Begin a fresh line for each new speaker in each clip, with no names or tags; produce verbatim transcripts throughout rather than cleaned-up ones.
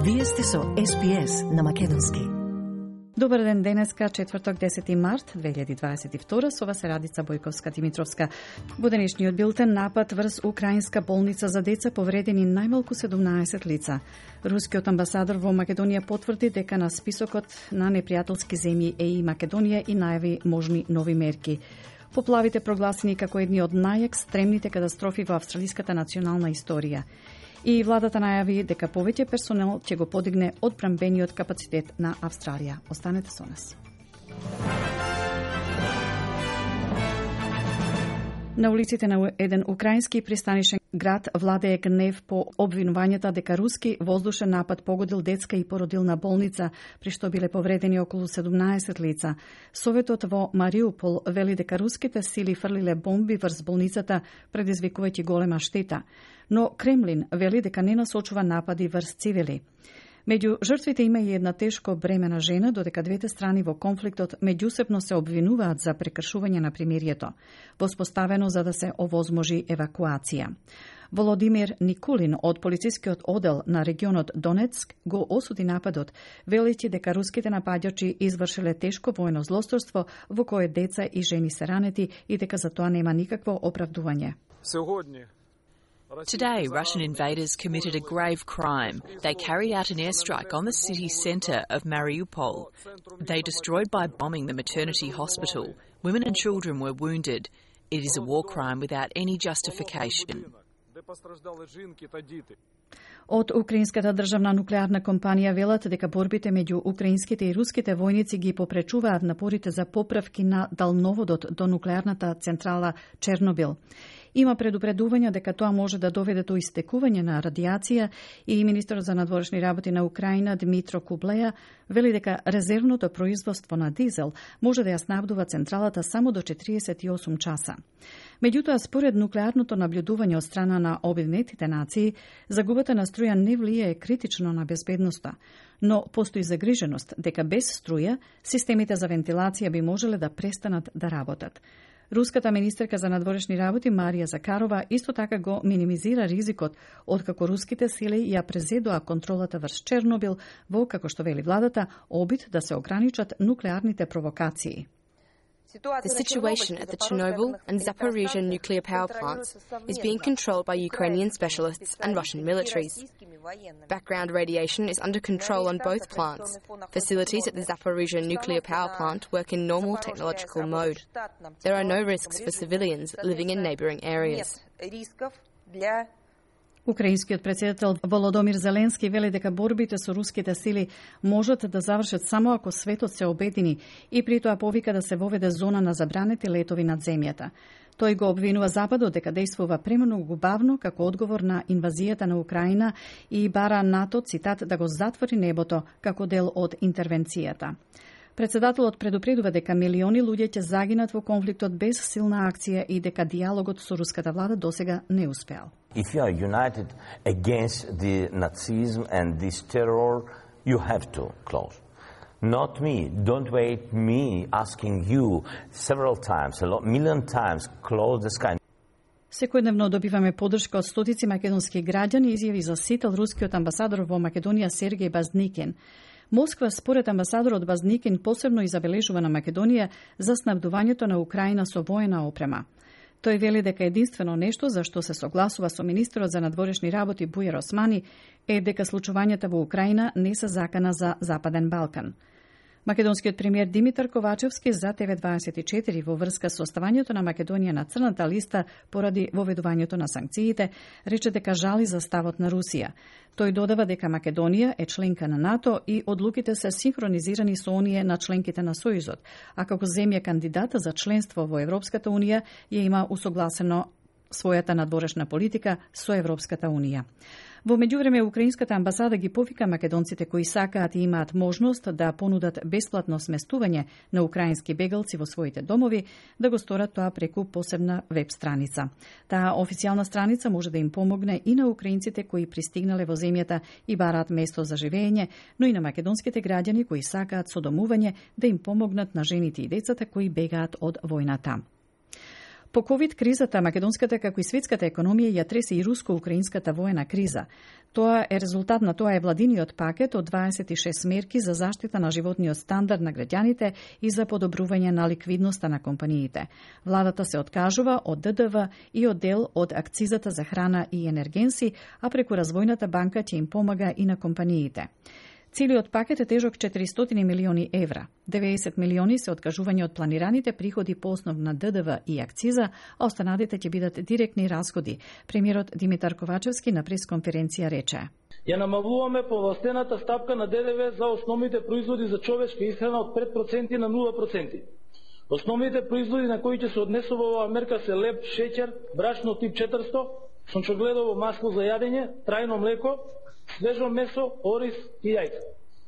Вие сте со Ес Би Ес на македонски.
Добар ден, денеска, четврток, десети март две илјади дваесет и втора, со вас е Радица Бојковска-Димитровска. Во денешниот билтен напад врз украинска болница за деца повредени најмалку седумнаесет лица. Рускиот амбасадор во Македонија потврди дека на списокот на непријателски земји е и Македонија и најави можни нови мерки. Поплавите прогласени како едни од најекстремните катастрофи во австралиската национална историја. И владата најави дека повеќе персонел ќе го подигне одбранбениот капацитет на Австралија. Останете со нас. На улиците на еден украински пристанишен град владее гнев по обвинувањата дека руски воздушен напад погодил детска и породилна болница, при што биле повредени околу седумнаесет лица. Советот во Мариупол вели дека руските сили фрлиле бомби врз болницата, предизвикувајќи голема штета. Но Кремлин вели дека не насочува напади врз цивили. Меѓу жртвите има и една тешко бремена жена, додека двете страни во конфликтот меѓусебно се обвинуваат за прекршување на примирието, воспоставено за да се овозможи евакуација. Володимир Никулин од полицискиот одел на регионот Донецк го осуди нападот, велејќи дека руските нападјачи извршиле тешко воено злосторство во кое деца и жени се ранети и дека за тоа нема никакво оправдување.
Today, Russian invaders committed a grave crime. They carried out an airstrike on the city centre of Mariupol. They destroyed by bombing the maternity hospital. Women and children were wounded. It is a war crime without any justification.
Од Украинската државна нуклеарна компанија велат дека борбите меѓу украинските и руските војници ги попречуваат напорите за поправки на далноводот до нуклеарната централа Чернобил. Има предупредување дека тоа може да доведе до истекување на радиација и министерот за надворешни работи на Украина Дмитро Кублеја вели дека резервното производство на дизел може да ја снабдува централата само до четириесет и осум часа. Меѓутоа, според нуклеарното наблюдување од страна на Обединетите нации, загубата на струја не влијае критично на безбедноста, но постои загриженост дека без струја системите за вентилација би можеле да престанат да работат. Руската министерка за надворешни работи Марија Закарова исто така го минимизира ризикот откако руските сили ја презедоа контролата врз Чернобил во, како што вели владата, обид да се ограничат нуклеарните провокации.
The situation at the Chernobyl and Zaporizhzhia nuclear power plants is being controlled by Ukrainian specialists and Russian militaries. Background radiation is under control on both plants. Facilities at the Zaporizhzhia nuclear power plant work in normal technological mode. There are no risks for civilians living in neighbouring areas.
Украинскиот претседател Володомир Зеленски вели дека борбите со руските сили можат да завршат само ако светот се обедини и при тоа повика да се воведе зона на забранети летови над земјата. Тој го обвинува Западот дека действува премногу бавно како одговор на инвазијата на Украина и бара НАТО, цитат, да го затвори небото како дел од интервенцијата. Председателот предупредува дека милиони луѓе ќе загинат во конфликтот без силна акција и дека диалогот со руската влада досега не успеал.
If you are united against the Nazism and this terror, you have to close. Not me. Don't wait me asking you several times, a lot, million times, close the sky.
Секојдневно добиваме поддршка од стотици македонски граѓани, изјави за сител рускиот амбасадор во Македонија Сергеј Базникин. Москва, според амбасадорот Базникин, посебно и забележува на Македонија за снабдувањето на Украина со воена опрема. Тој вели дека единствено нешто за што се согласува со министерот за надворешни работи Бујар Османи е дека случувањата во Украина не се закана за Западен Балкан. Македонскиот премиер Димитар Ковачевски за Т В дваесет и четири во врска со оставањето на Македонија на црната листа поради воведувањето на санкциите, рече дека жали за ставот на Русија. Тој додава дека Македонија е членка на НАТО и одлуките се синхронизирани со оние на членките на Сојузот, а како земја кандидата за членство во Европската Унија ја има усогласено својата надворешна политика со Европската Унија. Во меѓувреме, украинската амбасада ги повика македонците кои сакаат и имаат можност да понудат бесплатно сместување на украински бегалци во своите домови, да го сторат тоа преку посебна веб страница. Таа официјална страница може да им помогне и на украинците кои пристигнале во земјата и бараат место за живење, но и на македонските граѓани кои сакаат со домување да им помогнат на жените и децата кои бегаат од војната. По ковид кризата, македонската како и светската економија ја тресе и руско-украинската воена криза. Тоа е резултат на тоа е владиниот пакет од дваесет и шест мерки за заштита на животниот стандард на граѓаните и за подобрување на ликвидноста на компаниите. Владата се откажува од Д Д В и од дел од акцизата за храна и енергенси, а преку развојната банка ќе им помага и на компаниите. Целиот пакет е тежок четиристотини милиони евра. деветдесет милиони се откажување од планираните приходи по основ на Д Д В и акциза, а останатите ќе бидат директни расходи. Премиерот Димитар Ковачевски на пресконференција рече:
Ја намалуваме повластената стапка на Д Д В за основните производи за човечка исхрана од пет проценти на нула проценти. Основните производи на кои ќе се однесува оваа мерка се леб, шеќер, брашно тип четиристо, сончогледово масло за јадење, трајно млеко, свежо месо, ориз и јајца.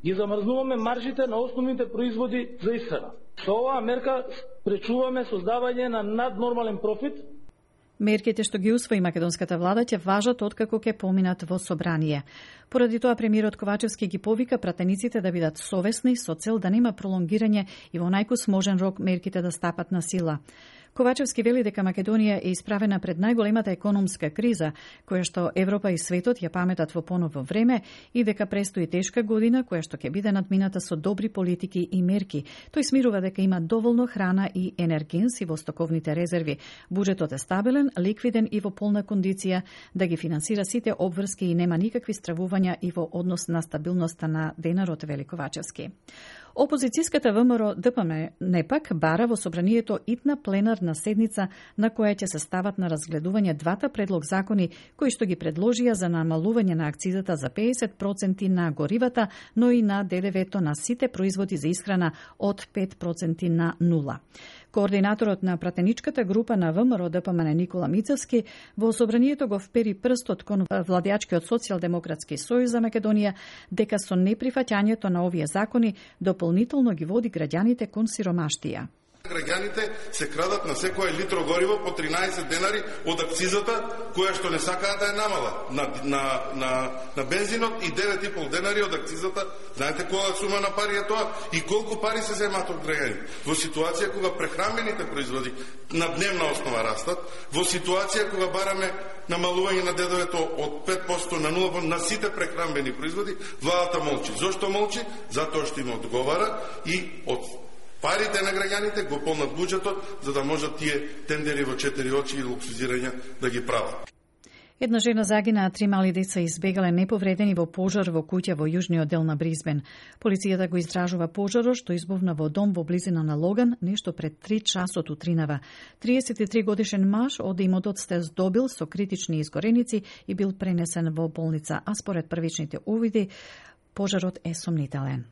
Ги замрзнуваме маржите на основните производи за исхрана. Со оваа мерка спречуваме создавање на наднормален профит.
Мерките што ги усвои македонската влада ќе важат откако ќе поминат во собрание. Поради тоа премиерот Ковачевски ги повика пратениците да бидат совесни со цел да нема пролонгирање и во најкусможен рок мерките да стапат на сила. Ковачевски вели дека Македонија е исправена пред најголемата економска криза, која што Европа и светот ја паметат во поново време и дека престои тешка година која што ќе биде надмината со добри политики и мерки. Тој смирува дека има доволно храна и енергенси во стоковните резерви. Буџетот е стабилен, ликвиден и во полна кондиција да ги финансира сите обврски и нема никакви стравувања и во однос на стабилноста на денарот, вели Ковачевски. Опозицијската В М Р Д П М не пак бара во собранието итна пленарна седница на која ќе се стават на разгледување двата предлог закони кои што ги предложија за намалување на акцизата за педесет проценти на горивата, но и на Д Д В-то на сите производи за исхрана од пет проценти на нула. Координаторот на пратеничката група на В М Р Д П М Никола Мицевски во собранието го впери прстот кон владеачкиот Социјалдемократски сојуз за Македонија дека со неприфаќањето на овие закони дополнително ги води граѓаните кон сиромаштија.
Граѓаните се крадат на секој литро гориво по тринаесет денари од акцизата, која што не сакаат да ја намала. На, на, на, на бензинот и девет и пол денари од акцизата. Знаете која сума на пари е тоа? И колку пари се земат од граѓаните? Во ситуација кога прехранбените производи на дневна основа растат, во ситуација кога бараме намалување на Д Д В-то од пет проценти на нула проценти на сите прехранбени производи, владата молчи. Зошто молчи? Затоа што им одговара и од парите на граѓаните го полнат буџетот за да можат тие тендери во четири очи и луксузирања да ги прават.
Една жена загина, а три мали деца избегале неповредени во пожар во куќа во јужниот дел на Бризбен. Полицијата го истражува пожарот што избувна во дом во близина на Логан, нешто пред три часот утринава. триесет и три годишен маж од имотот се здобил со критични изгореници и бил пренесен во болница, а според првичните увиди пожарот е сомнителен.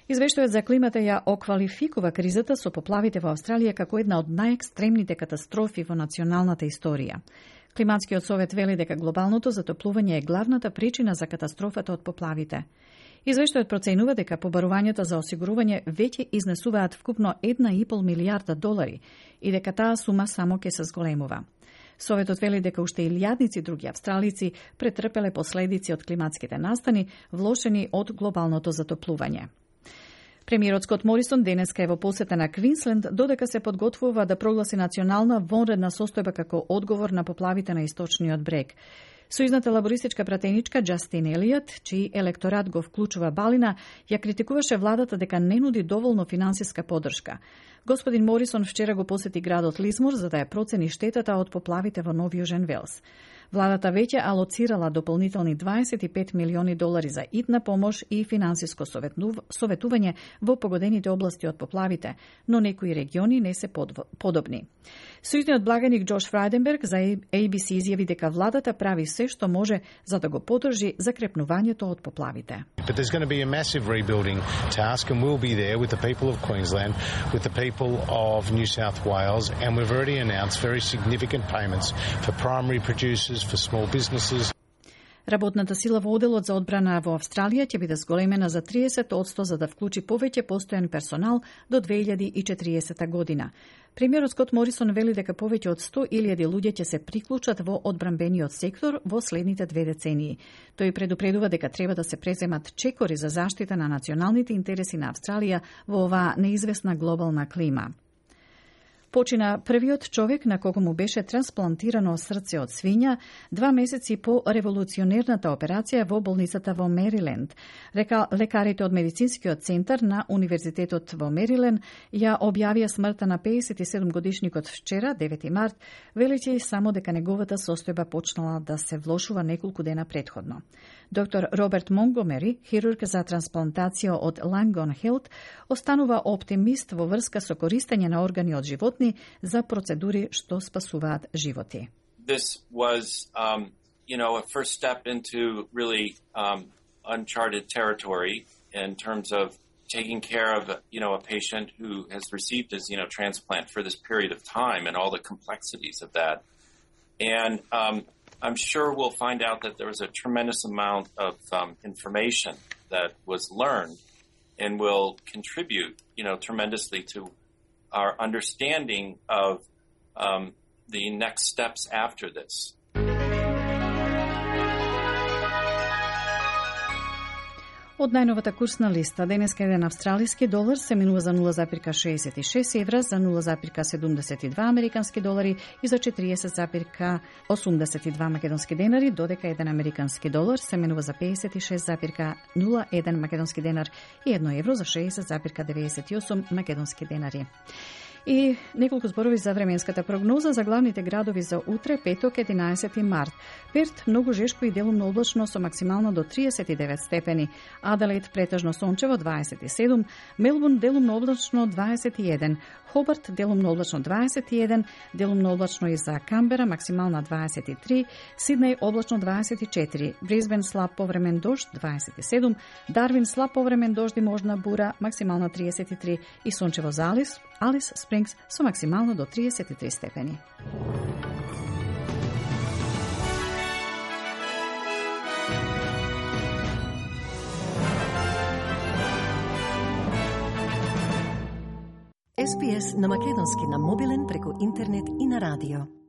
Извештајот за климата ја оквалификува кризата со поплавите во Австралија како една од најекстремните катастрофи во националната историја. Климатскиот совет вели дека глобалното затоплување е главната причина за катастрофата од поплавите. Извештајот проценува дека побарувањата за осигурување веќе изнесуваат вкупно една и пол милијарда долари и дека таа сума само ќе се зголемува. Советот вели дека уште илјадници други австралици претрпеле последици од климатските настани, влошени од глобалното затоплување. Премиерот Скот Морисон денеска е во посета на Квинсленд, додека се подготвува да прогласи национална вонредна состојба како одговор на поплавите на источниот брег. Сојузната лабористичка пратеничка Джастин Елиот, чиј електорат го вклучува Балина, ја критикуваше владата дека не нуди доволно финансиска поддршка. Господин Морисон вчера го посети градот Лизмор за да ја процени штетата од поплавите во Нов Јужен Велс. Владата веќе алоцирала дополнителни дваесет и пет милиони долари за итна помош и финансиско советување во погодените области од поплавите, но некои региони не се подобни. Сојузниот благаник Джош Фрајденберг за А Б С изјави дека владата прави се што може за да го поддржи закрепнувањето од поплавите.
But there's going to be a massive rebuilding task and we'll be there with the people of Queensland, with the people of New South Wales, and we've already announced very significant payments for primary producers, for small businesses.
Работната сила во оделот за одбрана во Австралија ќе биде зголемена за триесет проценти за да вклучи повеќе постојан персонал до две илјади и четириесета година. Премиерот Скот Морисон вели дека повеќе од сто илјади луѓе ќе се приклучат во одбранбениот сектор во следните две децении. Тој предупредува дека треба да се преземат чекори за заштита на националните интереси на Австралија во оваа неизвестна глобална клима. Почина првиот човек на кого му беше трансплантирано срце од свиња два месеци по револуционерната операција во болницата во Мериленд. Река лекарите од медицинскиот центар на Универзитетот во Мериленд ја објавија смртта на пеесет и седум годишникот вчера, девети март, велејќи само дека неговата состојба почнала да се влошува неколку дена претходно. Доктор Роберт Монгомери, хирург за трансплантација од Langone Health, останува оптимист во врска со користење на органи од животни за процедури што спасуваат животи.
This was, um, you know, a first step into really um, uncharted territory in terms of taking care of, you know, a patient who has received his, you know, transplant for this period of time and all the complexities of that. And um, I'm sure we'll find out that there was a tremendous amount of um, information that was learned and will contribute, you know, tremendously to our understanding of um, the next steps after this.
Од најновата курсна листа, денеска еден австралиски долар се менува за нула запирка шеесет и шест евра, за нула запирка седумдесет и два американски долари и за четириесет запирка осумдесет и два македонски денари, додека еден американски долар се менува за пеесет и шест запирка нула еден македонски денар и едно евро за шеесет запирка деветдесет и осум македонски денари. И неколку зборови за временската прогноза за главните градови за утре, петок, единаесети март. Перт многу жешко и делумно облачно со максимално до триесет и девет степени. Аделаид претежно сончево дваесет и седум, Мелбурн делумно облачно дваесет и еден, Хобарт делумно облачно дваесет и еден, делумно облачно и за Камбера максимална дваесет и три, Сиднеј облачно дваесет и четири, Брисбен слаб повремен дожд дваесет и седум, Дарвин слаб повремен дожд и можна бура максимална триесет и три и сончево за Алис, Алис Спрингс со максимално до триесет и три степени.
Ес Би Ес на македонски на мобилен преку интернет и на радио.